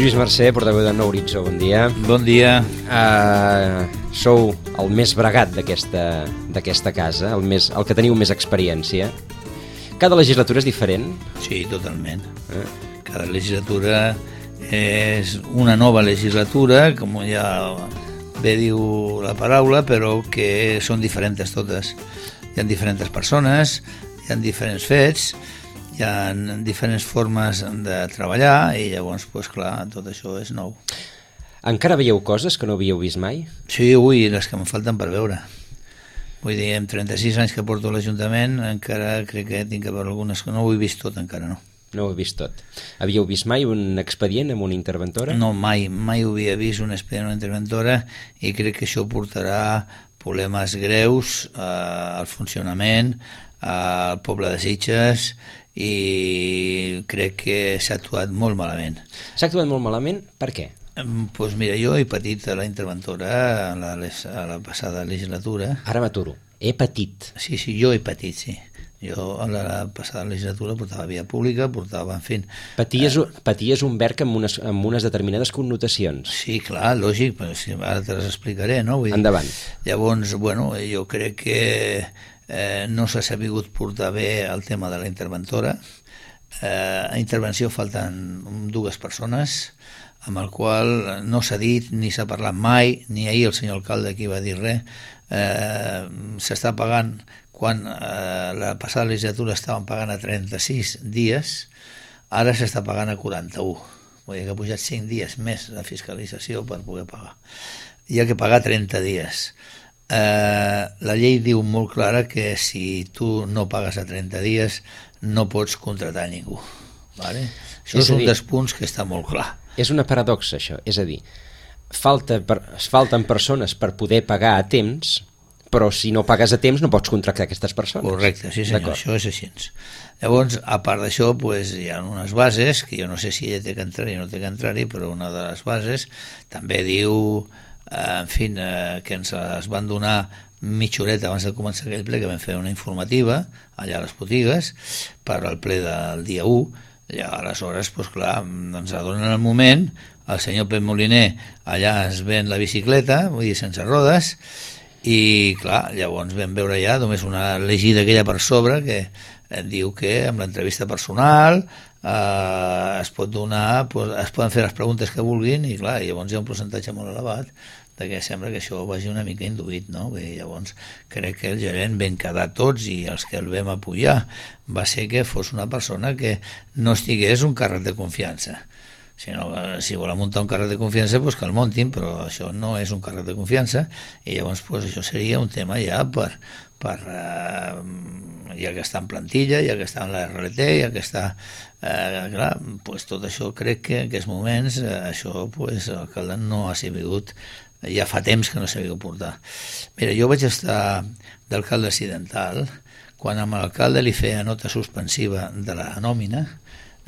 Lluís Mercè, portaveu de Nou Horitzó, bon dia. Bon dia. Sou el més bregat d'aquesta casa, el que teniu més experiència. Cada legislatura és diferent? Sí, totalment. Cada legislatura és una nova legislatura, com ja bé diu la paraula, però que són diferents totes. Hi ha diferents persones, hi ha diferents fets, hi ha diferents formes de treballar i llavors, doncs clar, tot això és nou. Encara veieu coses que no havíeu vist mai? Sí, ui, les que em falten per veure. Vull dir, amb 36 anys que porto a l'Ajuntament, encara crec que tinc que veure algunes que no ho he vist tot, encara no. No ho he vist tot. Havíeu vist mai un expedient amb una interventora? No, mai ho havia vist un expedient amb una interventora i crec que això portarà problemes greus al funcionament, al poble de Sitges, i crec que s'ha actuat molt malament. S'ha actuat molt malament? Per què? Doncs mira, jo he patit a la interventora a la passada legislatura. Ara m'aturo. He patit. Sí, jo he patit, sí. Jo a la passada legislatura portava via pública, portava, en fi... Patir és un verb amb unes determinades connotacions. Sí, clar, lògic, però ara te les explicaré, no? Vull dir, endavant. Llavors, bueno, jo crec que no s'ha sabut portar bé el tema de la interventora. A intervenció falten dues persones, amb el qual no s'ha dit ni s'ha parlat mai, ni ahir el senyor alcalde aquí va dir res. S'està pagant, quan la passada legislatura estaven pagant a 36 dies, ara s'està pagant a 41. Vull dir que ha pujat 5 dies més la fiscalització per poder pagar. Hi ha que pagar 30 dies. La llei diu molt clara que si tu no pagues a 30 dies no pots contratar ningú. Vale? Això és un dels punts que està molt clar. És una paradoxa, això. És a dir, falten persones per poder pagar a temps, però si no pagues a temps no pots contractar aquestes persones. Correcte, sí senyor, això és així. Llavors, a part d'això, pues, hi ha unes bases, que jo no sé si ella té que entrar-hi o no té que entrar-hi, però una de les bases també diu, en fi, que ens les van donar mitja horeta abans de començar aquell ple, que vam fer una informativa allà a les botigues per al ple del dia 1, i aleshores, doncs clar, ens adonen el moment, el senyor Pep Moliner allà es ven la bicicleta, vull dir, sense rodes, i clar, llavors vam veure ja només una llegida aquella per sobre que diu que amb l'entrevista personal es pot donar, es poden fer les preguntes que vulguin i clar, llavors hi ha un percentatge molt elevat que sembla que això vagi una mica induït, no? Bé, llavors crec que el gerent ben quedar tots i els que el vam apoyar va ser que fos una persona que no estigués un càrrec de confiança. Si volen muntar un càrrec de confiança, doncs que el muntin, però això no és un càrrec de confiança i llavors doncs, això seria un tema ja ja que està en plantilla, ja que està en la RLT, ja que està... clar, doncs tot això crec que en aquests moments això doncs, l'alcalde no ha sabut, ja fa temps que no s'ha sabut portar. Mira, jo vaig estar d'alcalde accidental quan amb l'alcalde li feia nota suspensiva de la nòmina.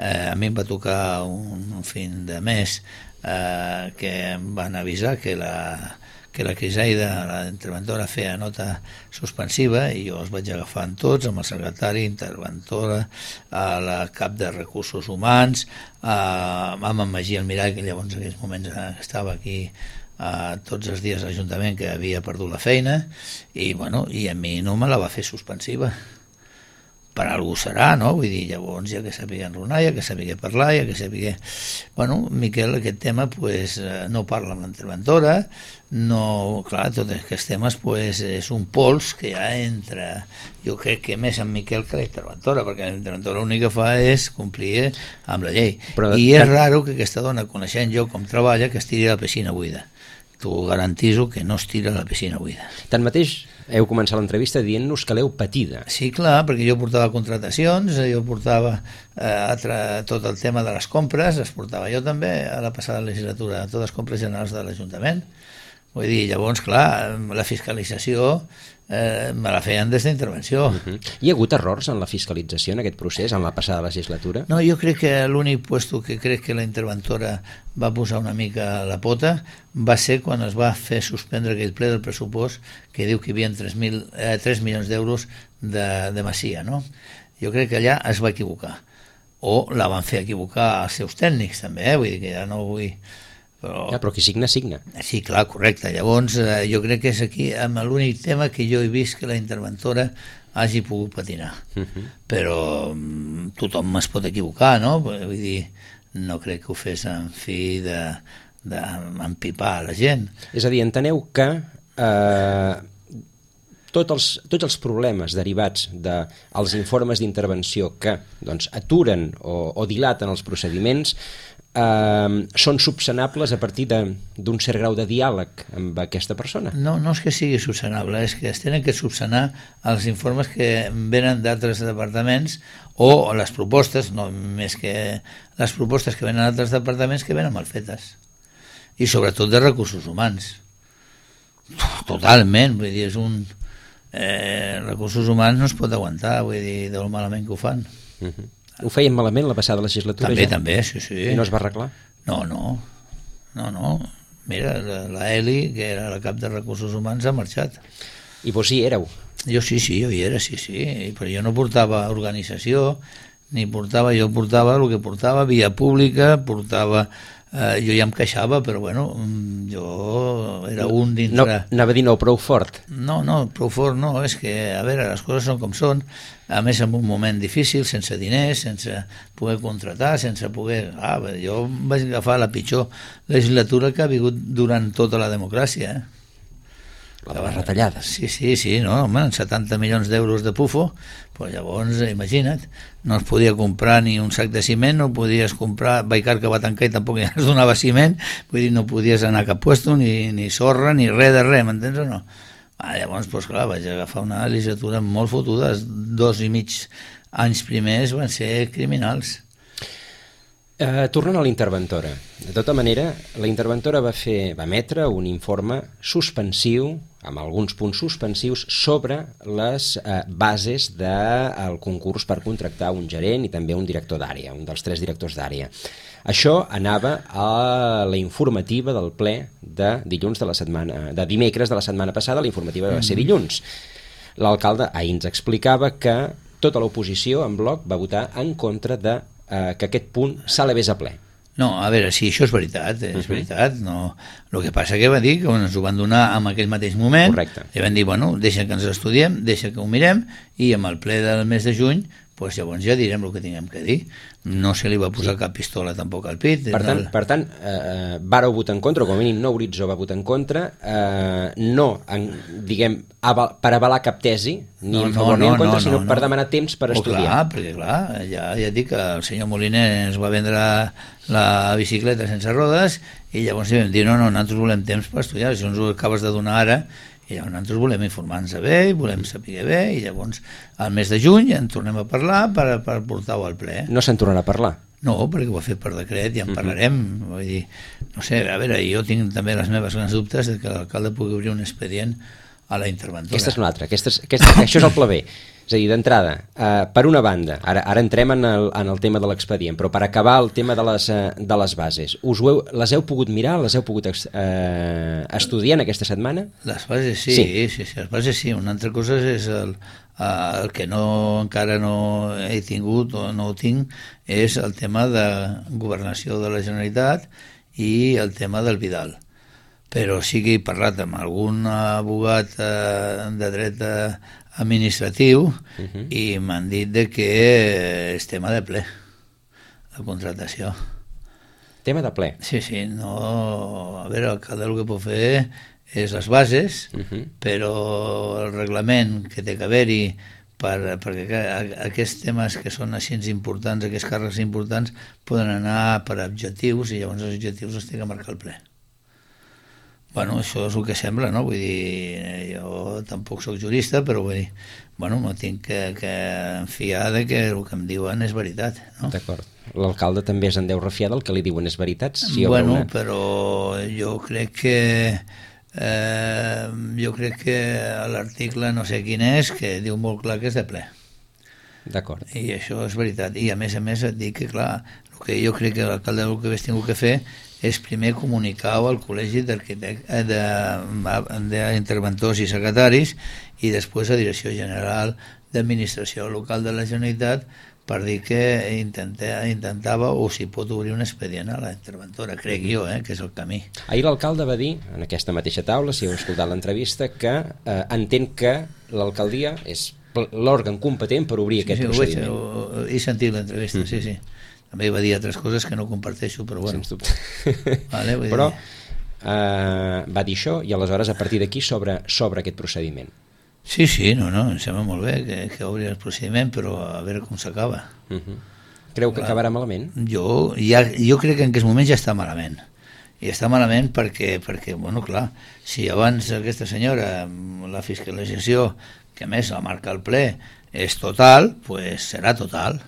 A mi em va tocar un fin de mes que em van avisar que la Crisaida, la interventora, feia nota suspensiva i jo els vaig agafar en tots, amb el secretari, interventora, la cap de recursos humans, amb en Magí Almirall, que llavors en aquells moments estava aquí tots els dies a l'Ajuntament, que havia perdut la feina, i a mi no me la va fer suspensiva. Per algú serà, no? Vull dir, llavors ja que sabia enronar, ja que sabia parlar, ja que sabia... Miquel, aquest tema, no parla amb l'interventora, no... Clar, tots aquests temes, és un pols que ja entra... Jo crec que més amb Miquel que la interventora, perquè la interventora l'únic que fa és complir amb la llei. I és raro que aquesta dona, coneixent jo com treballa, que es tiri a la piscina buida. T'ho garantiso que no es tira a la piscina buida. Tanmateix, heu començat l'entrevista dient-nos que l'heu patida. Sí, clar, perquè jo portava contratacions, jo portava tot el tema de les compres, les portava jo també a la passada legislatura, totes les compres generals de l'Ajuntament. Vull dir, llavors, clar, la fiscalització me la feien des d'intervenció. Hi ha hagut errors en la fiscalització en aquest procés, en la passada legislatura? No, jo crec que l'únic puesto que crec que la interventora va posar una mica la pota va ser quan es va fer suspendre aquell ple del pressupost que diu que hi havia 3 milions d'euros de Masia, no? Jo crec que allà es va equivocar. o la van fer equivocar els seus tècnics també, vull dir que ja no vull... Però qui signa, signa. Sí, clar, correcte. Llavors, jo crec que és aquí amb l'únic tema que jo he vist que la interventora hagi pogut patinar. Però tothom es pot equivocar, no? Vull dir, no crec que ho fes en fi d'empipar la gent. És a dir, enteneu que tots els problemes derivats dels informes d'intervenció que doncs, aturen o dilaten els procediments són subsanables a partir d'un cert grau de diàleg amb aquesta persona? No és que sigui subsanable, és que es tenen que subsanar els informes que venen d'altres departaments o les propostes, no més que les propostes que venen d'altres departaments que venen mal fetes. I sobretot de recursos humans. Totalment, vull dir, és un... recursos humans no es pot aguantar, vull dir, del malament que ho fan. Ho feien malament la passada legislatura? També, sí. I no es va arreglar? No. Mira, la Eli, que era la cap de recursos humans, ha marxat. I vos hi éreu? Jo sí, jo hi era, sí. Però jo no portava organització, jo portava el que portava, via pública, jo ja em queixava, però bueno, jo era un dintre... No, anava a dir no prou fort. No, prou fort no, és que, a veure, les coses són com són, a més en un moment difícil, sense diners, sense poder contratar, sense poder... jo vaig agafar la pitjor legislatura que ha vingut durant tota la democràcia, La de les retallades. Sí, no, home, 70 milions d'euros de pufo, pues llavors, imagina't, no es podia comprar ni un sac de ciment, no podies comprar, Baicar que va tancar i tampoc ja es donava ciment, vull dir, no podies anar a cap puesto, ni sorra, ni res de res, m'entens o no? Llavors, pues clar, vaig agafar una legislatura molt fotuda, 2 i mig anys primers van ser criminals. Tornant a la interventora, de tota manera, la interventora va emetre un informe suspensiu, amb alguns punts suspensius, sobre les bases del concurs per contractar un gerent i també un director d'àrea, un dels 3 directors d'àrea. Això anava a la informativa del ple de dimecres de la setmana passada, la informativa va ser dilluns. L'alcalde ahir ens explicava que tota l'oposició en bloc va votar en contra de que aquest punt s'elevés a ple. No, a veure, sí, això és veritat, veritat. No. El que passa que va dir que ens ho van donar en aquell mateix moment. Correcte. I van dir, bueno, deixa que ens estudiem, deixa que ho mirem, i amb el ple del mes de juny pues llavors ja direm el que tinguem que dir. No se li va posar cap pistola tampoc al pit. Per tant, vàreu votar en contra, o com a mínim No Horitzó va votar en contra, per avalar cap tesi, ni en favor ni en contra, sinó per demanar temps per estudiar. Clar, perquè clar, ja dic que el senyor Moliner ens va vendre la bicicleta sense rodes i llavors vam dir, no, nosaltres volem temps per estudiar, si ens ho acabes de donar ara, i llavors nosaltres volem informar-nos bé, volem saber bé, i llavors al mes de juny en tornem a parlar per portar-ho al ple. No se'n tornarà a parlar? No, perquè ho ha fet per decret i en parlarem. Vull dir, no sé, a veure, jo tinc també les meves grans dubtes de que l'alcalde pugui obrir un expedient a la interventora. Aquesta és una altra, això és el pla B. És a dir, d'entrada, per una banda, ara entrem en el tema de l'expedient, però per acabar el tema de les bases, les heu pogut mirar, les heu pogut estudiar en aquesta setmana? Les bases sí, les bases sí. Una altra cosa és el que encara no he tingut o no ho tinc, és el tema de governació de la Generalitat i el tema del Vidal. Però sí que he parlat amb algun abogat de dret administratiu i m'han dit que és tema de ple, la contratació. Tema de ple? Sí, no... A veure, l'alcalde el que pot fer és les bases, però el reglament que té que haver-hi perquè aquests temes que són així importants, aquests càrrecs importants, poden anar per objectius i llavors els objectius els té que marcar el ple. Bueno, això és el que sembla, no? Vull dir, jo tampoc sóc jurista, però vull dir, bueno, no tinc que fiar de que el que em diuen és veritat, no? D'acord. L'alcalde també es en deu refiar del que li diuen és veritat? Bueno, però jo crec que l'article no sé quin és, que diu molt clar que és de ple. D'acord. I això és veritat. I a més et dic que, clar, el que jo crec que l'alcalde el que hagués tingut que fer és primer comunicar-ho al col·legi d'interventors i secretaris i després a Direcció General d'Administració Local de la Generalitat per dir que intentava o si pot obrir un expedient a la interventora, crec jo, que és el camí. Ahir l'alcalde va dir, en aquesta mateixa taula, si heu escoltat l'entrevista, que entén que l'alcaldia és l'òrgan competent per obrir aquest procediment. He sentit l'entrevista, sí. També va dir altres coses que no comparteixo, però bueno. Sens dubte. Vale, però va dir això i aleshores a partir d'aquí s'obre aquest procediment. Sí, no, em sembla molt bé que obri el procediment, però a veure com s'acaba. Creu que acabarà malament? Jo crec que en aquest moment ja està malament. I està malament perquè, bueno, clar, si abans aquesta senyora, la fiscalització, que a més la marca el ple, és total, doncs serà total.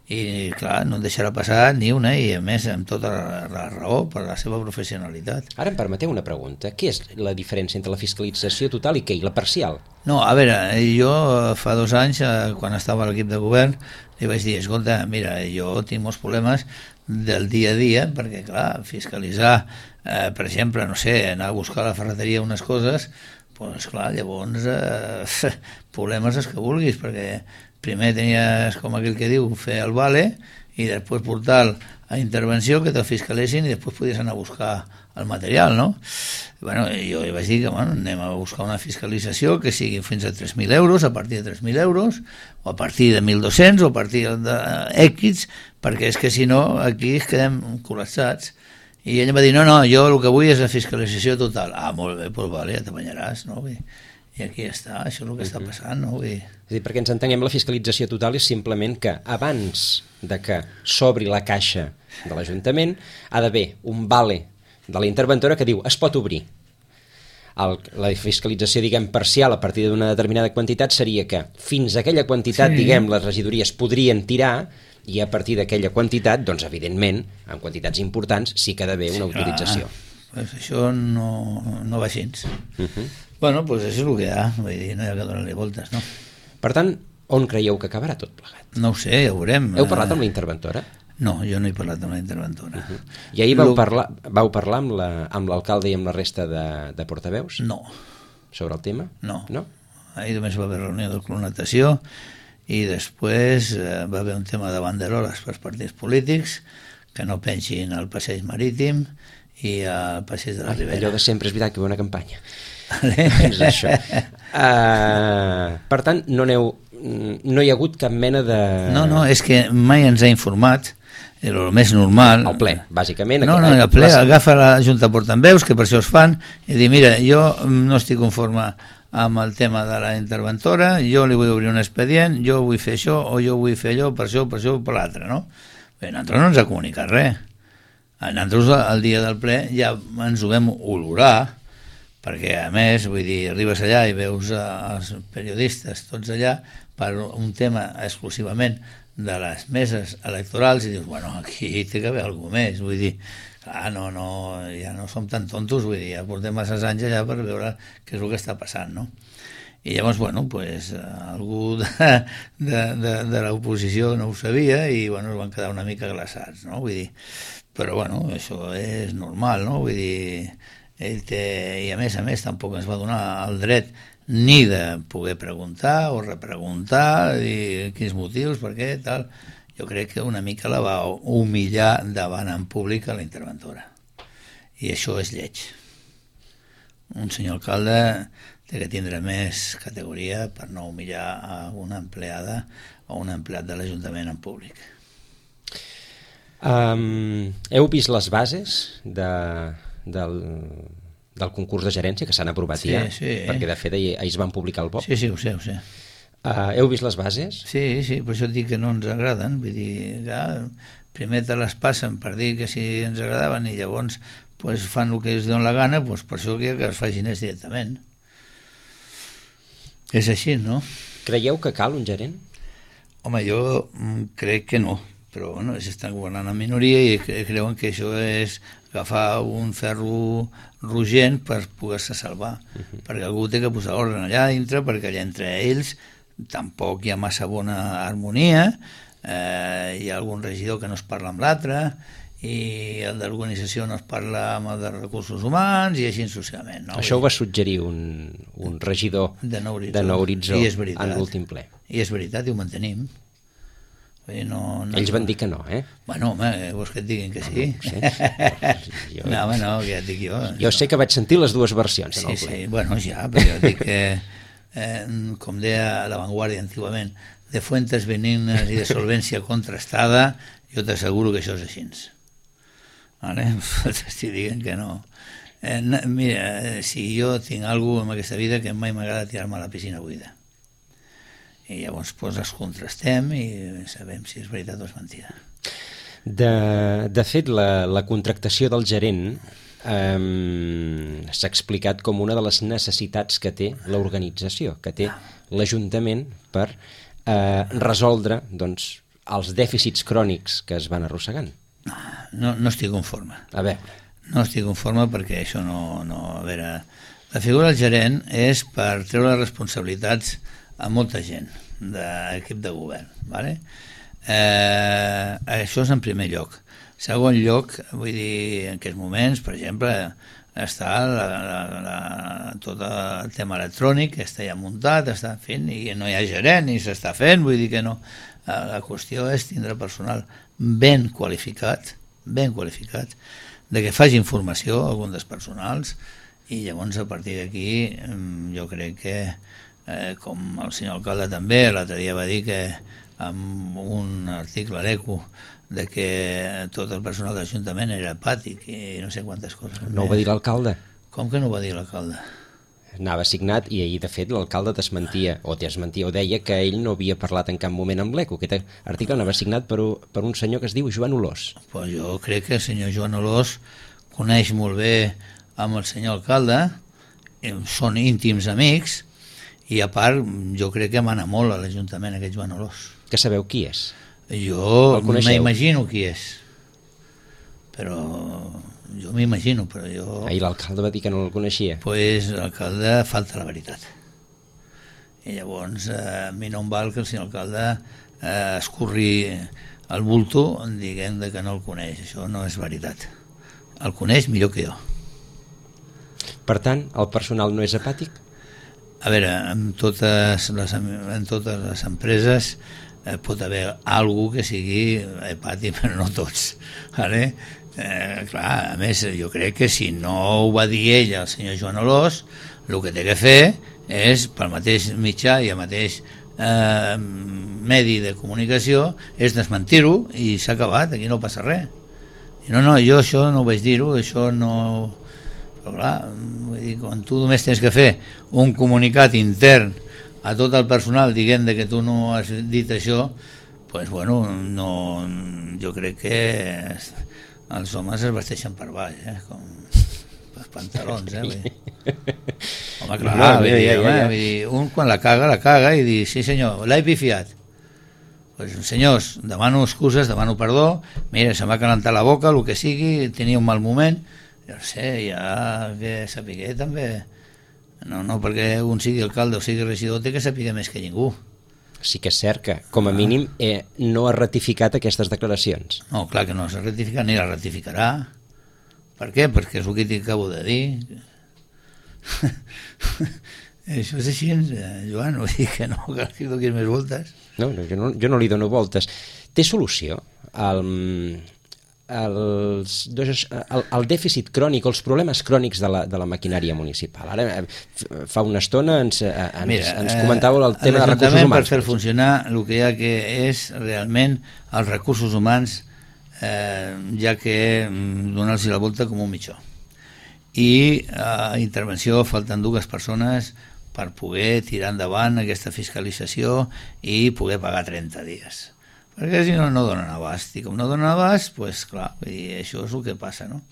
I clar, no en deixarà passar ni una, i a més amb tota la raó per la seva professionalitat. Ara em permeteu una pregunta. Què és la diferència entre la fiscalització total i què? I la parcial? No, a veure, jo fa 2 anys, quan estava a l'equip de govern, li vaig dir, escolta, mira, jo tinc molts problemes del dia a dia, perquè clar, fiscalitzar, per exemple, no sé, anar a buscar a la ferreteria unes coses, doncs clar, llavors problemes els que vulguis, perquè primer tenies, com aquell que diu, fer el vale i després portar a intervenció que te'l fiscalessin i després podies anar a buscar el material, no? Bueno, jo li vaig dir que anem a buscar una fiscalització que sigui fins a 3.000 euros, a partir de 3.000 euros, o a partir de 1.200, o a partir de X, perquè és que si no aquí es quedem col·lapsats. I ell em va dir, no, jo el que vull és la fiscalització total. Ah, molt bé, doncs vale, ja t'apanyaràs, no? I aquí està, això és el que està passant, no? És a dir, perquè ens entenguem, la fiscalització total és simplement que abans de que s'obri la caixa de l'Ajuntament ha d'haver un vale de la interventora que diu es pot obrir. La fiscalització, diguem, parcial a partir d'una determinada quantitat seria que fins a aquella quantitat, diguem, les regidories podrien tirar i a partir d'aquella quantitat, doncs evidentment, en quantitats importants, sí que ha d'haver una autorització. Pues això no va així. Bueno, doncs això és el que hi ha, vull dir, no hi ha que donar-li voltes, no? Per tant, on creieu que acabarà tot plegat? No ho sé, ja ho veurem. Heu parlat amb la interventora? No, jo no he parlat amb la interventora. I ahir vau parlar amb l'alcalde i amb la resta de portaveus? No. Sobre el tema? No. Ahir només va haver reunió de clonatació i després va haver un tema de banderoles per partits polítics que no pensin al passeig marítim i al passeig de la Ribera. Allò de sempre, és veritat que hi ha una campanya. És això. Per tant, no hi ha hagut cap mena de... No, és que mai ens ha informat, el més normal... El ple, bàsicament. No, el ple agafa la Junta Portaveus, que per això es fan, i dir, mira, jo no estic conforme amb el tema de la interventora, jo li vull obrir un expedient, jo vull fer això, o jo vull fer allò, per això, per l'altre, no? Bé, nosaltres no ens ha comunicat res. Nosaltres el dia del ple ja ens ho vam olorar, perquè a més, vull dir, arribes allà i veus els periodistes tots allà per un tema exclusivament de les meses electorals i dius, bueno, aquí té que haver alguna més, vull dir, clar, ja no som tan tontos, vull dir, ja portem massa anys allà per veure què és el que està passant, no? I llavors, bueno, pues, algú de l'oposició no ho sabia i, bueno, es van quedar una mica glaçats, no? Vull dir, però, bueno, això és normal, no? Vull dir, i a més tampoc ens va donar el dret ni de poder preguntar o repreguntar i quins motius, per què, tal. Jo crec que una mica la va humillar davant en públic a la interventora i això és lleig. Un senyor alcalde té que tindre més categoria per no humillar a una empleada o un empleat de l'Ajuntament en públic. Heu vist les bases del concurs de gerència que s'han aprovat ja? Sí. Perquè de fet ahir es van publicar al BOP. Sí, ho sé. Heu vist les bases? Sí, per això et dic que no ens agraden. Vull dir, primer te les passen per dir que si ens agradaven i llavors pues, fan el que es donen la gana, pues, per això que es facin directament. És així, no? Creieu que cal un gerent? Home, jo crec que no, però bueno, s'estan governant en minoria i creuen que això és agafar un ferro rogent per poder-se salvar, perquè algú té que posar ordre allà dintre, perquè allà entre ells tampoc hi ha massa bona harmonia, hi ha algun regidor que no es parla amb l'altre, i el d'organització no es parla amb el de recursos humans i així successivament. No? Això ho va suggerir un regidor de Nou Horitzó en l'últim ple. I és veritat, i ho mantenim. Ells van dir que no, eh? Bueno, home, vols que et diguin que sí? No, home, no, que ja et dic jo. Jo sé que vaig sentir les dues versions en el ple. Sí, bueno, ja, però jo dic que, com deia La Vanguardia antigament, de fuentes benignes i de solvència contrastada, jo t'asseguro que això és així. Vale? T'estic dient que no. Mira, si jo tinc alguna cosa en aquesta vida que mai m'agrada tirar-me a la piscina buida. I llavors doncs, els contrastem i sabem si és veritat o és mentida. De fet, la contractació del gerent s'ha explicat com una de les necessitats que té l'organització, que té l'Ajuntament per resoldre doncs, els dèficits crònics que es van arrossegant. No estic conforme. A veure. No estic conforme perquè això no... A veure, la figura del gerent és per treure responsabilitats a molta gent d'equip de govern, ¿vale? Això és en primer lloc. Segon lloc, vull dir, en aquests moments, per exemple, està tot el tema electrònic, que està ja muntat, està fent, i no hi ha gerent, ni s'està fent, vull dir que no. La qüestió és tindre personal ben qualificat, de que faci informació a algun dels personals, i llavors a partir d'aquí jo crec que com el senyor alcalde també l'altre dia va dir que amb un article a l'ECO de que tot el personal de l'Ajuntament era apàtic i no sé quantes coses. No ho va dir l'alcalde? Com que no ho va dir l'alcalde? Anava signat i ahir de fet l'alcalde desmentia o deia que ell no havia parlat en cap moment amb l'ECO. Aquest article anava signat per un senyor que es diu Joan Olós. Pues jo crec que el senyor Joan Olós coneix molt bé amb el senyor alcalde, són íntims amics, i a part jo crec que mana molt a l'Ajuntament aquest Joan Olós. Que sabeu qui és? Jo m'imagino qui és, però jo m'imagino, però jo... Ahir l'alcalde va dir que no el coneixia. Pues l'alcalde falta la veritat. I llavors a mi no em val que el senyor alcalde escorri el bulto dient que no el coneix. Això no és veritat. El coneix millor que jo. Per tant, el personal no és apàtic? A veure, en totes les empreses pot haver algú que sigui apàtic, però no tots. Vale? Clar, a més, jo crec que si no ho va dir ell, el senyor Joan Olós, el que té que fer és, pel mateix mitjà i el mateix medi de comunicació, és desmentir-ho i s'ha acabat, aquí no passa res. I no, jo això no ho vaig dir-ho, això no... Però clar, vull dir, quan tu només tens que fer un comunicat intern a tot el personal dient que tu no has dit això, doncs bueno, no, jo crec que els homes es vesteixen per baix, com els pantalons, vull dir. Home, clar, vull dir, un quan la caga i dir, sí senyor, l'he pifiat. Doncs senyors, demano excuses, demano perdó, mira, se m'ha calentat la boca, el que sigui, tenia un mal moment, jo no sé, ja que sapigué també, no perquè un sigui alcalde o sigui regidor té que sapigué més que ningú. Sí que és cert que, com a mínim, no ha ratificat aquestes declaracions. No, clar que no s'ha ratificat ni la ratificarà. Per què? Perquè és el que t'acabo de dir. Això és així, Joan, vull dir que no cal que donis més voltes. No, jo no li dono voltes. Té solució el dèficit crònic, els problemes crònics de la maquinària municipal. Ara, fa una estona ens comentàveu el tema de recursos humans. Per fer funcionar el que hi ha que és realment els recursos humans, ja que donar-los la volta com un mitjó. I a intervenció falten 2 persones per poder tirar endavant aquesta fiscalització i poder pagar 30 dies. Perquè si no donen abast, i com no donen abast, doncs clar, això és el que passa, no?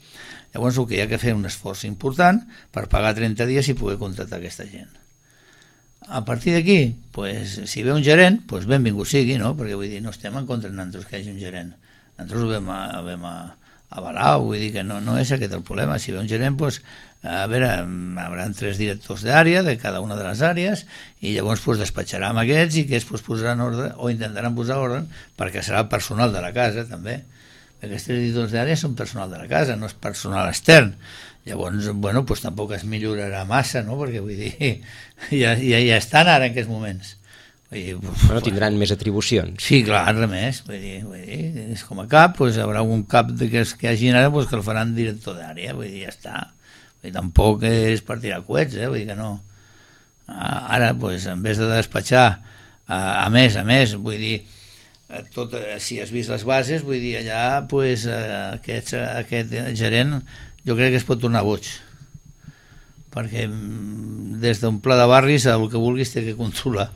Llavors el que hi ha que fer un esforç important per pagar 30 dies i poder contractar aquesta gent. A partir d'aquí, si ve un gerent, benvingut sigui, no? Perquè vull dir, no estem en contra de nosaltres que hi hagi un gerent. Nosaltres ho vam avalar, vull dir que no és aquest el problema. Si ve un gerent, a veure, haurà 3 directors d'àrea de cada una de les àrees i llavors despatxarà amb aquests i aquests posaran ordre o intentaran posar ordre perquè serà el personal de la casa també. Aquests editors d'àrea són personal de la casa, no és personal extern. Llavors, bueno, doncs tampoc es millorarà massa, no? Perquè vull dir, ja estan ara en aquests moments. Vull dir, bueno, tindran més atribucions. Sí, clar, res més. Vull dir, és com a cap, doncs hi haurà un cap que hagi ara doncs, que el faran director d'àrea, vull dir, ja està. Vull dir, tampoc és per tirar coets, vull dir que no. Ara, doncs, en vez de despatxar, a més, vull dir, tot, si has vist les bases, vull dir, allà doncs, aquest gerent jo crec que es pot tornar boig, perquè des d'un pla de barris el que vulguis té que controlar.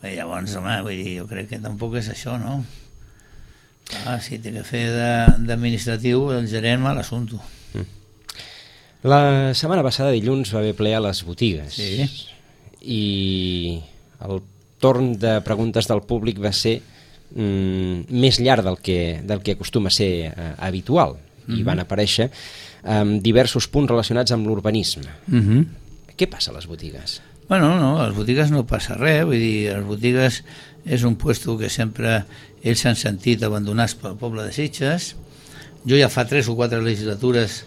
I llavors, home, vull dir, jo crec que tampoc és això, no? Si té que fer d'administratiu, el gerent mal assumpto. La setmana passada, dilluns, va haver ple a les botigues. Sí. I el torn de preguntes del públic va ser més llarg del que acostuma a ser habitual. I van aparèixer diversos punts relacionats amb l'urbanisme. Què passa a les botigues? Bueno, no, a les botigues no passa res, vull dir, a les botigues és un puesto que sempre ells s'han sentit abandonats pel poble de Sitges. Jo ja fa 3 o 4 legislatures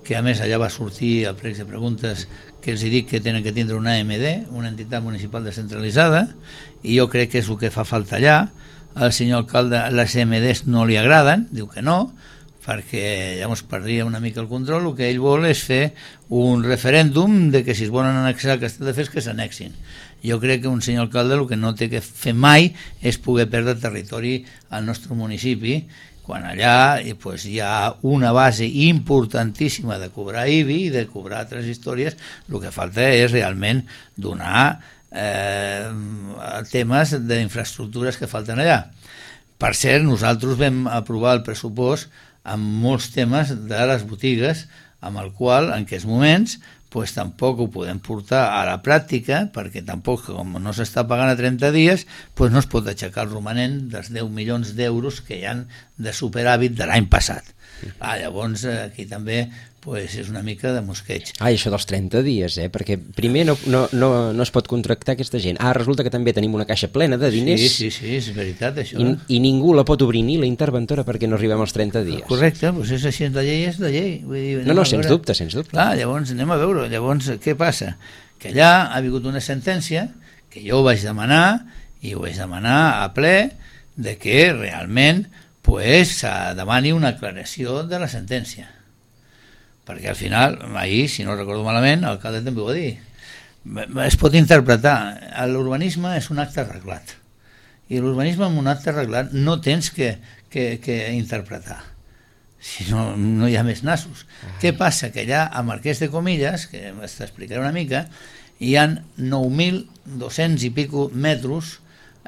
que a més allà va sortir el plec de preguntes que els dic que tenen que tindre una AMD, una entitat municipal descentralitzada, i jo crec que és el que fa falta allà. Al senyor alcalde les AMDs no li agraden, diu que no, perquè llavors perdria una mica el control. El que ell vol és fer un referèndum de que si es volen annexar Castelldefels que s'annexin. Jo crec que un senyor alcalde el que no té que fer mai és poder perdre territori al nostre municipi, quan allà pues, hi ha una base importantíssima de cobrar IBI i de cobrar altres històries. El que falta és realment donar temes d'infraestructures que falten allà. Per cert, nosaltres vam aprovar el pressupost amb molts temes de les botigues, amb el qual en aquests moments pues, tampoc ho podem portar a la pràctica, perquè tampoc, com no s'està pagant a 30 dies, pues no es pot aixecar el romanent dels 10 milions d'euros que hi ha de superàvit de l'any passat. Llavors aquí també pues, és una mica de mosqueig. Això dels 30 dies, perquè primer no es pot contractar aquesta gent. Resulta que també tenim una caixa plena de diners. Sí, és veritat això. I ningú la pot obrir, ni la interventora, perquè no arribem als 30 dies. Correcte, doncs és així, la llei és la llei. Vull dir, no, sens dubte. Clar, llavors anem a veure, llavors què passa? Que allà ha vingut una sentència que jo ho vaig demanar, i ho vaig demanar a ple, de que realment pues, demani una aclaració de la sentència. Perquè al final, ahir, si no recordo malament, l'alcalde també ho va dir. Es pot interpretar, l'urbanisme és un acte arreglat. I l'urbanisme amb un acte arreglat no tens que interpretar. Si no, no hi ha més nassos. Què passa? Que allà a Marquès de Comillas, que t'explicaré una mica, hi ha 9.200 i pico metres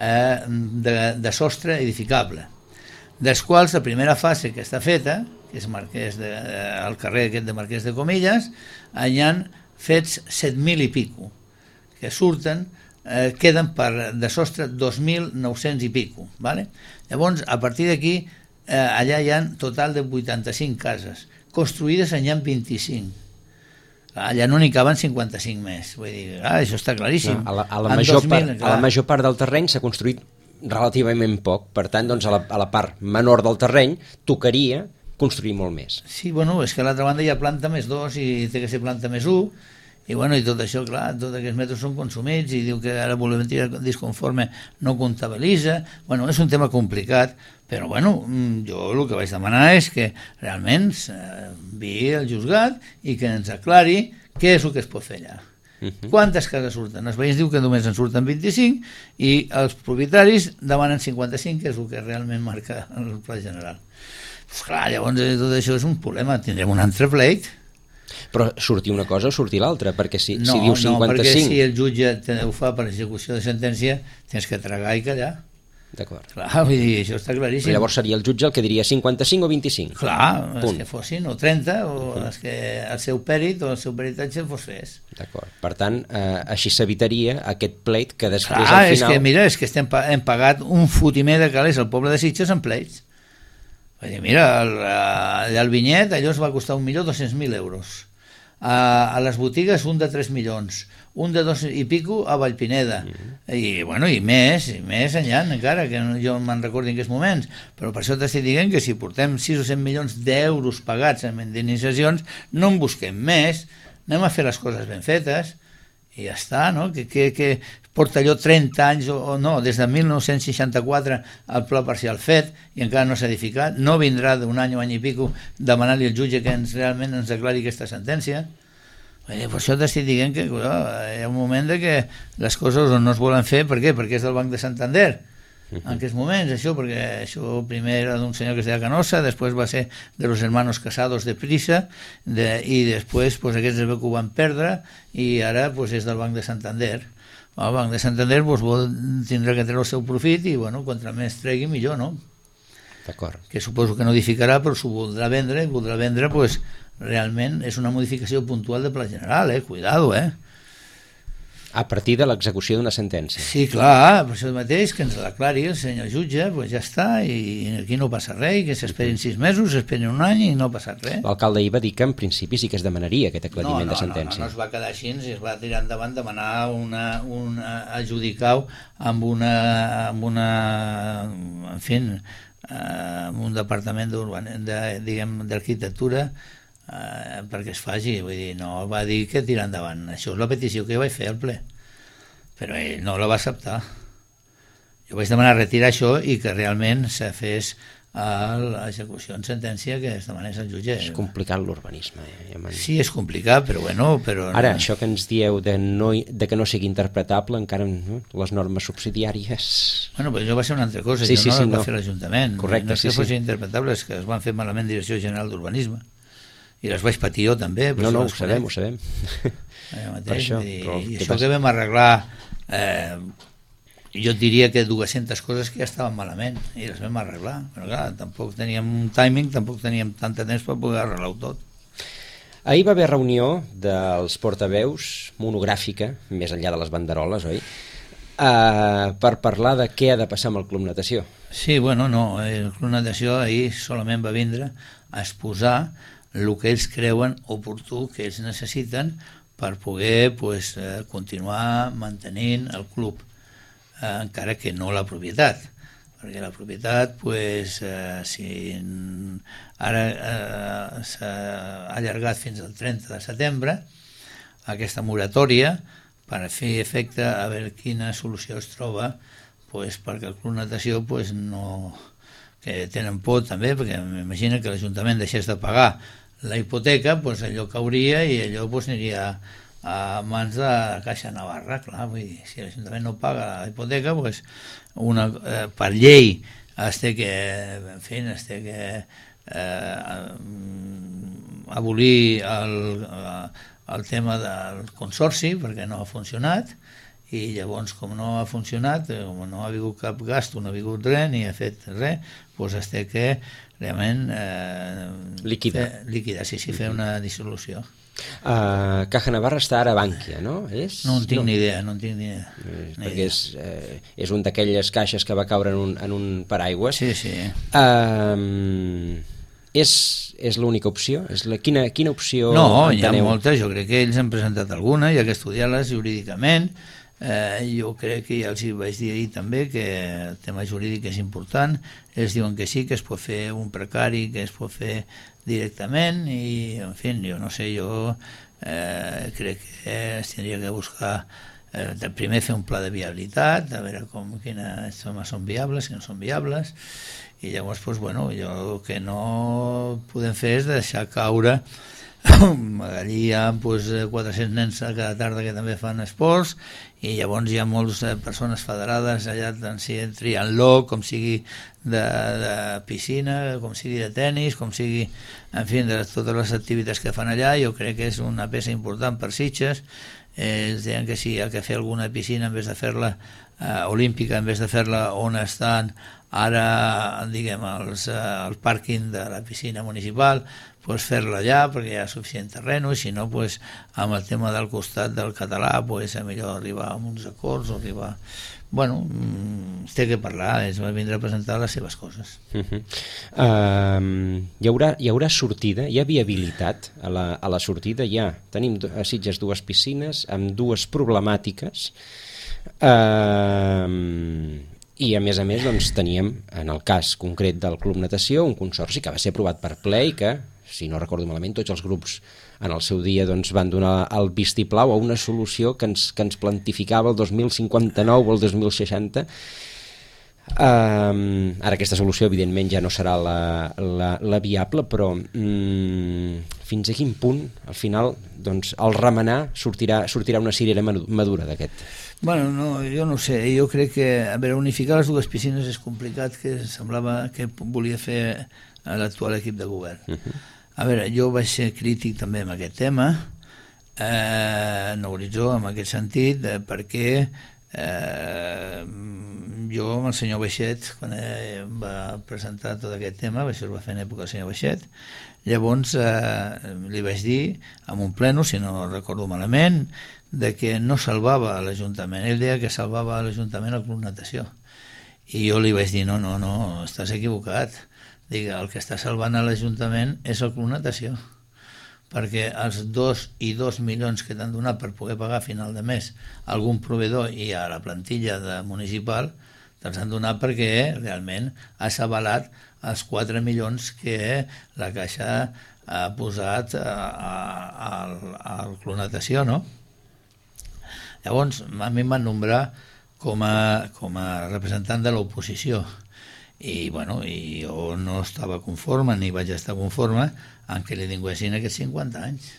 de sostre edificable, dels quals la primera fase que està feta, que és el carrer aquest de Marquès de Comillas, hi han fets 7.000 i pico, que surten, queden de sostre 2.900 i pico. Vale? Llavors, a partir d'aquí, allà hi ha total de 85 cases, construïdes en hi ha 25. Allà no n'hi caben 55 més. Vull dir, això està claríssim. A la major part del terreny s'ha construït relativament poc, per tant, doncs, a la part menor del terreny tocaria construir molt més. Sí, bueno, és que a l'altra banda hi ha planta més 2 i té que ser planta més 1, i bueno, i tot això, clar, tots aquests metres són consumits, i diu que ara volumetria disconforme no comptabilitza. Bueno, és un tema complicat, però bueno, jo el que vaig demanar és que realment vi el juzgat i que ens aclari què és el que es pot fer allà. Quantes cases surten? Els veïns diu que només en surten 25 i els propietaris demanen 55, que és el que realment marca el pla general. Pues clar, llavors tot això és un problema, tindrem un altre pleit. Però sortir una cosa o sortir l'altra, perquè si diu 55... No, perquè si el jutge ho fa per execució de sentència, tens que tragar i callar. D'acord. Clar, vull dir, això està claríssim. Però llavors seria el jutge el que diria 55 o 25. Clar, els que fossin, o 30, o els que el seu pèrit o el seu peritatge fos fes. D'acord. Per tant, així s'evitaria aquest pleit que després al final... És que, mira, hem pagat un fotimer de calés al poble de Sitges en pleits. Vull dir, mira, allà al Vinyet, allò es va costar 1.200.000 euros. A les botigues un de 3 milions, un de 2 i pico a Vallpineda, i més enllà encara, que jo me'n recordo en aquests moments, però per això t'estic dient que si portem 6 o 7 milions d'euros pagats en indemnitzacions, no en busquem més, anem a fer les coses ben fetes, i ja està, no? Que porta allò 30 anys o no, des de 1964 el pla parcial fet i encara no s'ha edificat, no vindrà d'un any o any i pico demanar-li al jutge que realment ens declari aquesta sentència. Per això t'estic dient que hi ha un moment de que les coses no es volen fer. Per què? Perquè és del Banc de Santander en aquests moments, això, perquè això primer era d'un senyor que es deia Canosa, després va ser de los hermanos Casados de Prisa, i després aquests es veu que ho van perdre i ara és del Banc de Santander. El Banc de Santander tindrà que treure el seu profit i contra més tregui millor, no? D'acord. Que suposo que no edificarà, però s'ho voldrà vendre, i voldrà vendre, realment és una modificació puntual de pla general, cuidado, A partir de l'execució d'una sentència. Sí, clar, per això mateix, que ens l'aclari el senyor jutge, ja està, i aquí no passa res, i que s'esperin 6 mesos, s'esperin un any i no ha passat res. L'alcalde ahir va dir que en principi sí que es demanaria aquest aclariment de sentència. No es va quedar així, es va tirar endavant demanar un adjudicau amb un departament d'arquitectura perquè es faci, vull dir, no va dir que tirar endavant, això és la petició que jo vaig fer al ple, però ell no la va acceptar. Jo vaig demanar retirar això i que realment se fes l'execució en sentència que es demanés al jutge. És complicat l'urbanisme. Sí, és complicat, però però... Ara, això que ens dieu de que no sigui interpretable, encara les normes subsidiàries... Però això va ser una altra cosa, no va fer l'Ajuntament. Correcte, no és que fos interpretable, és que es van fer malament Direcció General d'Urbanisme. I les vaig patir jo també. No, ho sabem. Per això. I això que vam arreglar, jo diria que 200 coses que ja estaven malament i les vam arreglar, però clar, tampoc teníem un timing, tampoc teníem tant de temps per poder arreglar-ho tot. Ahir va haver reunió dels portaveus monogràfica, més enllà de les banderoles, oi? Per parlar de què ha de passar amb el Club Natació. Sí, el Club Natació ahir solament va vindre a exposar el que ells creuen oportú, que ells necessiten per poder continuar mantenint el club, encara que no la propietat, perquè la propietat si ara s'ha allargat fins al 30 de setembre aquesta moratòria per fer efecte a veure quina solució es troba perquè el Club Natació no, que tenen por també, perquè m'imagino que l'Ajuntament deixés de pagar la hipoteca, allò cauria i allò aniria a mans de la Caixa Navarra. Clar, vull dir, si l'Ajuntament no paga la hipoteca, per llei es té que abolir el tema del consorci perquè no ha funcionat, i llavors com no ha funcionat, com no ha hagut cap gast, no ha hagut res, ni ha fet res, es té que realment liquidar, fer una dissolució. Caja Navarra està ara a Bànquia, no? No en tinc ni idea. Perquè és un d'aquelles caixes que va caure en un paraigües. Sí. És l'única opció? Quina opció no, enteneu? Hi ha moltes, jo crec que ells han presentat alguna, hi ha que estudiar-les jurídicament. Jo crec que ja els vaig dir ahir també que el tema jurídic és important. Ells diuen que sí, que es pot fer un precari, que es pot fer directament, i en fi, jo no sé, jo crec que es tindria que buscar primer fer un pla de viabilitat, a veure quines són viables, quines no són viables, i llavors jo que no podem fer és deixar caure. Allí hi ha 400 nens a cada tarda que també fan esports, i llavors hi ha moltes persones federades allà, tant sigui triatló, com sigui de piscina, com sigui de tennis, com sigui, en fi, de totes les activitats que fan allà. Jo crec que és una peça important per Sitges. Ells deien que si hi ha que fer alguna piscina en vez de fer-la olímpica, en vez de fer-la on estan ara, diguem, el pàrquing de la piscina municipal, pues fer-la allà perquè hi ha suficient terreno, i si no, pues, amb el tema del costat del català, pues, a millor arribar a uns acords o arribar... Bueno, es té que parlar, es va vindre a presentar les seves coses. Hi haurà sortida, hi ha viabilitat a la sortida, tenim a Sitges 2 piscines amb 2 problemàtiques, i a més doncs teníem, en el cas concret del Club Natació, un consorci que va ser aprovat per ple i que, si no recordo malament, tots els grups en el seu dia doncs, van donar el vistiplau a una solució que ens plantificava el 2059 o el 2060. Ara aquesta solució evidentment ja no serà la viable, però fins a quin punt al final doncs, el remenar sortirà una cirera madura d'aquest? Bueno, no, jo no sé, jo crec que unificar les 2 piscines és complicat, que semblava que volia fer l'actual equip de govern. A veure, jo vaig ser crític també amb aquest tema, en Horitzó, en aquest sentit, perquè jo amb el senyor Baixet, quan va presentar tot aquest tema, això es va fer en època del senyor Baixet, llavors li vaig dir, en un pleno, si no recordo malament, de que no salvava l'Ajuntament. Ell deia que salvava l'Ajuntament el Club Natació. I jo li vaig dir, no, estàs equivocat. Digue, el que està salvant a l'Ajuntament és el Club Natació, perquè els 2,2 milions que t'han donat per poder pagar a final de mes algun proveïdor i a la plantilla municipal te'ls han donat perquè realment has avalat els 4 milions que la Caixa ha posat al Club Natació, no? Llavors, a mi em van nombrar com a representant de l'oposició, i bueno, jo no estava conforme ni vaig estar conforme en què li tinguessin aquests 50 anys.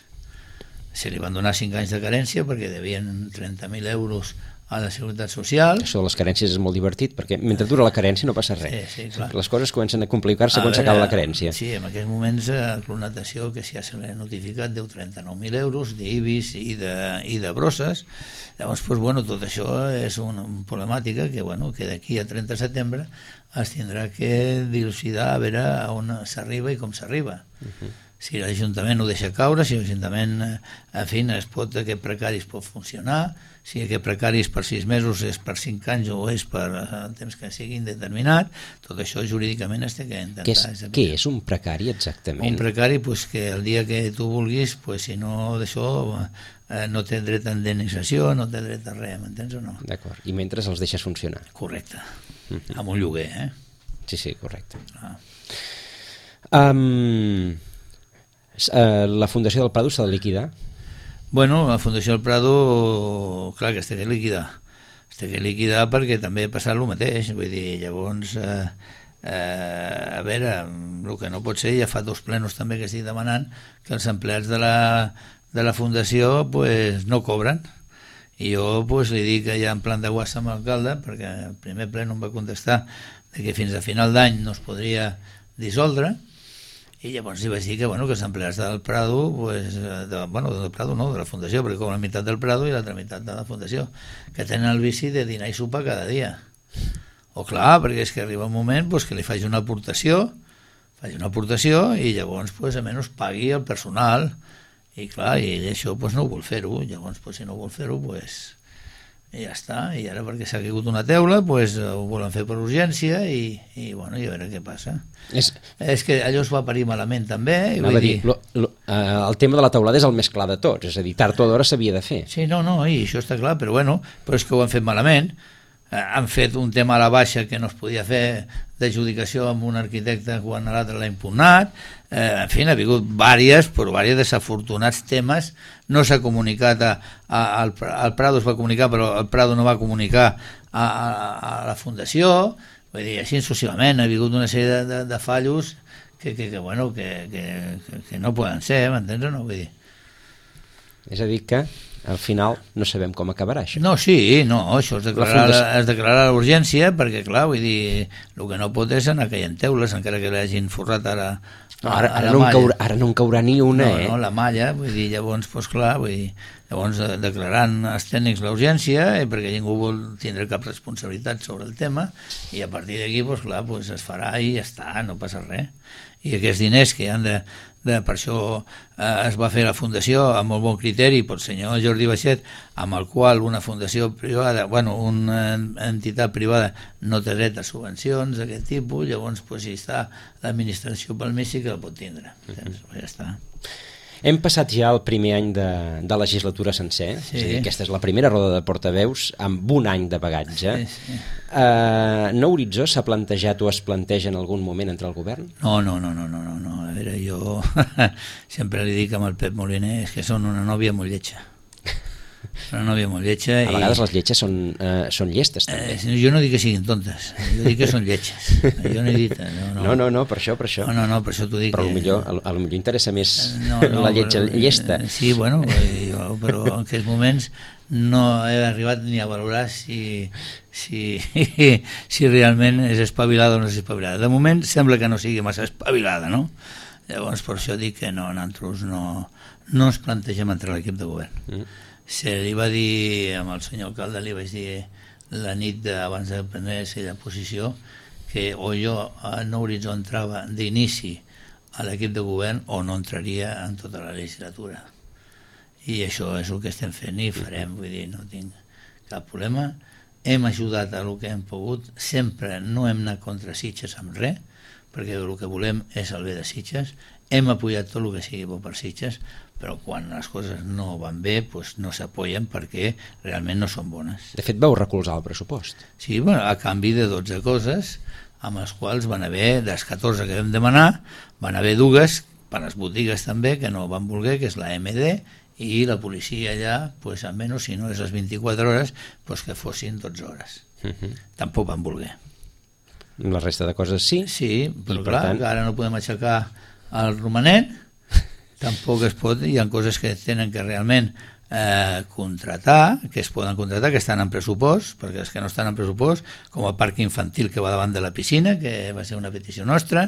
Se li van donar 5 anys de carència perquè devien 30.000 euros a la Seguretat Social. Això de les carències és molt divertit, perquè mentre dura la carència no passa res. Sí, clar. Les coses comencen a complicar-se quan s'acaba la carència. Sí, en aquests moments el Club Natació, que si ja se l'ha notificat, deu 39.000 euros d'IBIS i de brosses. Llavors, doncs, bueno, tot això és una problemàtica que, bueno, que d'aquí a 30 de setembre es tindrà que dilucidar a veure a on s'arriba i com s'arriba. Si l'Ajuntament ho deixa caure, si l'Ajuntament, en fi, aquest precari es pot funcionar, si aquest precari és per 6 mesos, és per 5 anys o és per temps que sigui indeterminat, tot això jurídicament es té que intentar. Què és un precari exactament? Un precari, pues, que el dia que tu vulguis, pues, si no d'això, no té dret a indemnització, no té dret a res, m'entens o no? D'acord, i mentre els deixes funcionar. Correcte, amb un lloguer, Sí, correcte. La Fundació del Prado s'ha de liquidar? Bueno, la Fundació del Prado, clar que es té que liquidar. Es té que liquidar perquè també ha passat el mateix. Vull dir, llavors, a veure, el que no pot ser, ja fa 2 plenos també que estic demanant que els empleats de la Fundació pues, no cobren. I jo pues, li dic ja en plan de guassa amb l'alcalde, perquè el primer pleno em va contestar que fins a final d'any no es podria dissoldre, i llavors li vaig dir que, bueno, que els empleats del Prado, pues, del Prado no, de la Fundació, perquè cobren la meitat del Prado i l'altra meitat de la Fundació, que tenen el vici de dinar i sopar cada dia. O clar, perquè és que arriba un moment pues, que li faig una aportació i llavors pues, almenys pagui el personal, i clar, i ell això pues, no ho vol fer-ho, llavors pues, si no vol fer-ho pues, i ja està, i ara perquè s'ha caigut una teula pues, ho volen fer per urgència i bueno, i a veure què passa. És que allò es va parir malament també, i vull dir... El tema de la teulada és el més clar de tots, és a dir, tard o d'hora s'havia de fer. Sí, no, i això està clar, però bueno, però és que ho han fet malament. Han fet un tema a la baixa que no es podia fer d'adjudicació amb un arquitecte quan l'altre l'ha impugnat, en fi, ha hagut diversos desafortunats temes. No s'ha comunicat al Prado, es va comunicar, però el Prado no va comunicar a la Fundació, vull dir, així successivament ha hagut una sèrie de fallos que no poden ser, m'entens o no? Vull dir. És a dir que al final no sabem com acabarà això. No, això es declararà l'urgència perquè, clar, vull dir, el que no pot és anar caient teules, encara que l'hagin forrat ara no en caurà ni una, no, la malla, vull dir, llavors, doncs clar, vull dir, Llavors, declarant els tècnics l'urgència, perquè ningú vol tindre cap responsabilitat sobre el tema, i a partir d'aquí, doncs, clar, doncs es farà i ja està, no passa res. I aquests diners que han per això es va fer la fundació amb molt bon criteri pel senyor Jordi Baixet, amb el qual una fundació privada, una entitat privada no té dret a subvencions d'aquest tipus, llavors si està l'administració pel mig sí que el pot tindre. Ja està. Hem passat ja el primer any de legislatura sencer, sí. És a dir, aquesta és la primera roda de portaveus amb un any de bagatge. Sí. Nou Horitzó s'ha plantejat o es planteja en algun moment entre el govern? No. A veure, jo sempre li dic amb el Pep Moliner és que són una nòvia molt lletja. Una nòvia molt lletja. A vegades les lletges són llestes, també. Jo no dic que siguin tontes, jo dic que són lletges. Jo no he dit... No, per això. No, per això t'ho dic. Però potser interessa més la lletja llesta. Sí, però en aquests moments no he arribat ni a valorar si realment és espavilada o no és espavilada. De moment sembla que no sigui massa espavilada, no? Llavors per això dic que nosaltres no ens plantegem entrar a l'equip de govern. Se li va dir amb el senyor alcalde, li vaig dir la nit abans de prendre la posició que o jo a Nou Horitzó entrava d'inici a l'equip de govern o no entraria en tota la legislatura. I això és el que estem fent i farem, vull dir, no tinc cap problema. Hem ajudat a el que hem pogut, sempre no hem anat contra Sitges amb res, perquè el que volem és el bé de Sitges. Hem apoyat tot el que sigui bo per Sitges, però quan les coses no van bé doncs no s'apoyen perquè realment no són bones. De fet, vau recolzar el pressupost. Sí, a canvi de 12 coses, amb les quals van haver, de les 14 que vam demanar, van haver dues, per les botigues també, que no van voler, que és la MD, i la policia allà, doncs almenys, si no és les 24 hores, doncs que fossin 12 hores. Tampoc van voler. La resta de coses sí? Sí, però clar, tant... ara no podem aixecar el romanent, tampoc es pot, hi ha coses que tenen que realment contratar, que es poden contratar, que estan en pressupost, perquè els que no estan en pressupost, com el parc infantil que va davant de la piscina, que va ser una petició nostra,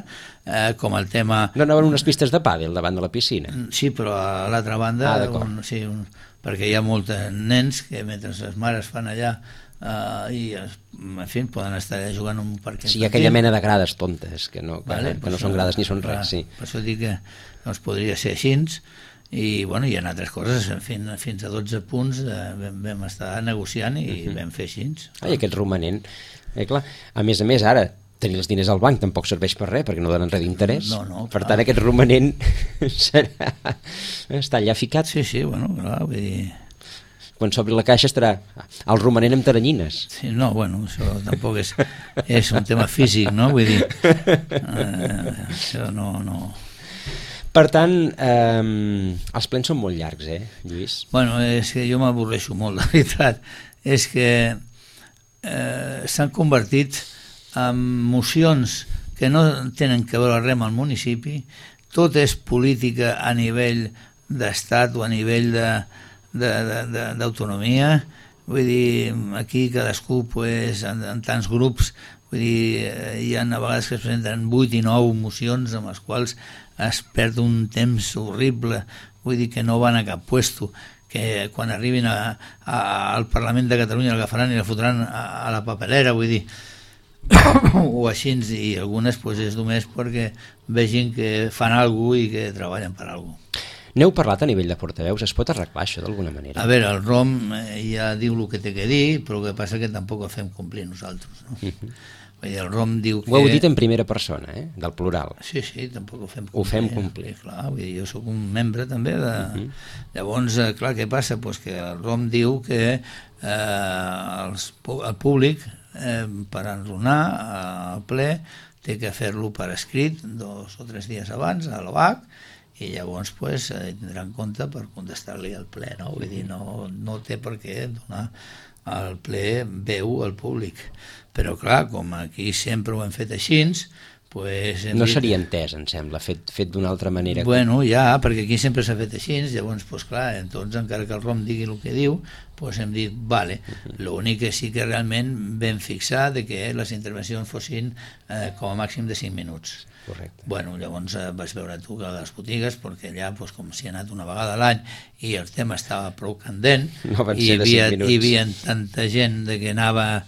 com el tema... No anaven unes pistes de pàdel davant de la piscina? Sí, però a l'altra banda, perquè hi ha molts nens que mentre les mares fan allà i en fi, poden estar allà jugant en un parc infantil. Sí, aquella mena de grades tontes que no són grades ni són res, sí. Per això dic que no es podria ser així, i bueno, hi ha altres coses, fins a 12 punts vam estar negociant i vam fer així. I aquest romanent, clar, a més, ara tenir els diners al banc tampoc serveix per res, perquè no donen res d'interès. Per tant, aquest romanent està allà ficat. Sí, bueno, clar, vull dir... Quan s'obri la caixa estarà el romanent amb taranyines. Sí, no, bueno, això tampoc és un tema físic, no? Vull dir, això no... Per tant, els plens són molt llargs, Lluís? Bueno, és que jo m'avorreixo molt, la veritat. És que s'han convertit en mocions que no tenen que veure res amb el municipi, tot és política a nivell d'estat o a nivell d'autonomia, vull dir, aquí cadascú en tants grups, vull dir, hi ha a vegades que es presenten 8 i 9 mocions amb les quals es perd un temps horrible, vull dir que no van a cap puesto, que quan arribin al Parlament de Catalunya l'agafaran i la fotran a la papelera, vull dir, o així, i algunes és només perquè vegin que fan alguna cosa i que treballen per alguna cosa. N'heu parlat a nivell de portaveus? Es pot arreglar això d'alguna manera? A veure, el ROM ja diu el que té que dir, però el que passa que tampoc ho fem complir nosaltres, no? El ROM diu que... Ho heu dit en primera persona, del plural. Sí, tampoc ho fem complir. Ho fem complir. Clar, vull dir, jo soc un membre també de... Llavors, clar, què passa? Pues que el ROM diu que el públic, per enronar al ple, té que fer-lo per escrit 2 o 3 dies abans a l'OAC, i llavors tindrà en compte per contestar-li al ple, no? Vull dir, no té per què donar al ple veu al públic. Però clar, com aquí sempre ho hem fet així, no seria entès, em sembla, fet d'una altra manera. Bueno, ja, perquè aquí sempre s'ha fet així, llavors, clar, encara que el ROM digui el que diu, doncs hem dit, vale, l'únic que sí que realment vam fixar de que les intervencions fossin com a màxim de 5 minuts. Correcte. Bueno, llavors vas veure tu que a les botigues, perquè allà, com s'hi ha anat una vegada a l'any i el tema estava prou candent, no van ser de 5 minuts. Hi havia tanta gent que anava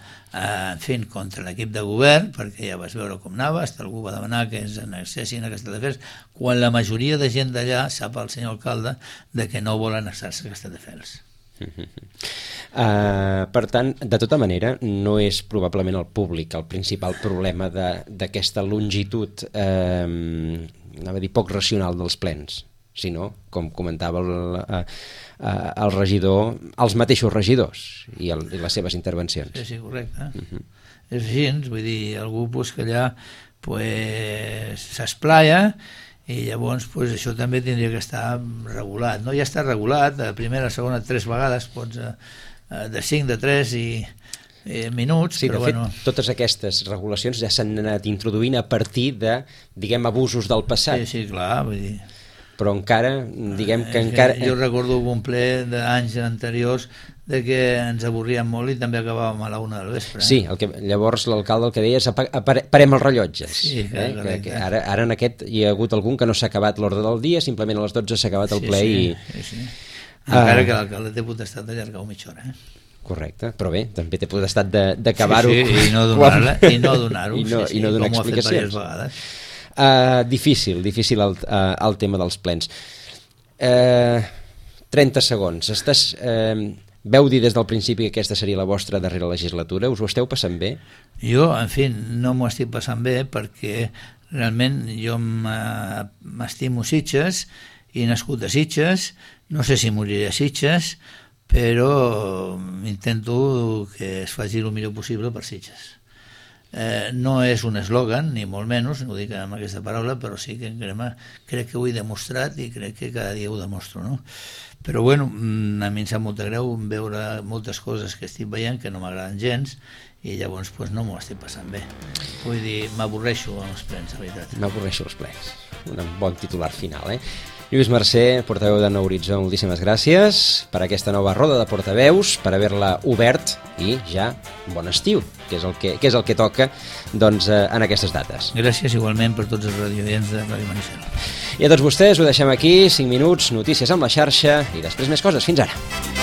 fent contra l'equip de govern, perquè ja vas veure com anava, hasta algú va demanar que ens annexessin a Castelldefels, quan la majoria de gent d'allà sap el senyor alcalde de que no vol annexar-se a Castelldefels. Per tant, de tota manera, no és probablement el públic el principal problema d'aquesta longitud, anava a dir, poc racional dels plens, sinó, com comentava el regidor, els mateixos regidors i les seves intervencions. Sí, correcte. És així, vull dir, algú que allà s'esplaia, i llavors això també tindria que estar regulat, no? Ja està regulat, a primera, segona, 3 vegades, pots de 5, de 3 i minuts, sí, però de fet, totes aquestes regulacions ja s'han anat introduint a partir de, diguem, abusos del passat. Sí, clar, vull dir... Però encara, diguem que encara... Jo recordo un ple d'anys anteriors de que ens avorríem molt i també acabàvem a la 1 del vespre. Sí, llavors l'alcalde el que deia és parem els rellotges. Sí, que ara en aquest hi ha hagut algun que no s'ha acabat l'ordre del dia, simplement a les 12 s'ha acabat el ple i... Sí. Encara que l'alcalde té potestat d'allargar-ho mitja hora, Correcte, però bé, també té potestat d'acabar-ho... Sí, i no donar-ho. I no donar explicacions. Com ho ha fet diverses vegades. Difícil el tema dels plens. 30 segons. Veu dir des del principi que aquesta seria la vostra darrera legislatura? Us ho esteu passant bé? Jo, en fi, no m'ho estic passant bé perquè realment jo m'estimo Sitges i he nascut a Sitges, no sé si moriré a Sitges, però intento que es faci el millor possible per Sitges. No és un eslògan, ni molt menys, no ho dic amb aquesta paraula, però sí que crec que ho he demostrat i crec que cada dia ho demostro, no? Però bueno, a mi em sap molt greu veure moltes coses que estic veient que no m'agraden gens i llavors no m'ho estic passant bé. Vull dir, m'avorreixo amb els plens, la veritat. M'avorreixo els plens. Un bon titular final, Lluís Mercè, portaveu de Nou Horitzó, moltíssimes gràcies per aquesta nova roda de portaveus, per haver-la obert i ja bon estiu, que és el que toca en aquestes dates. Gràcies igualment per tots els radioients de Ràdio Manissal. I a tots vostès ho deixem aquí, 5 minuts, notícies amb la xarxa i després més coses. Fins ara.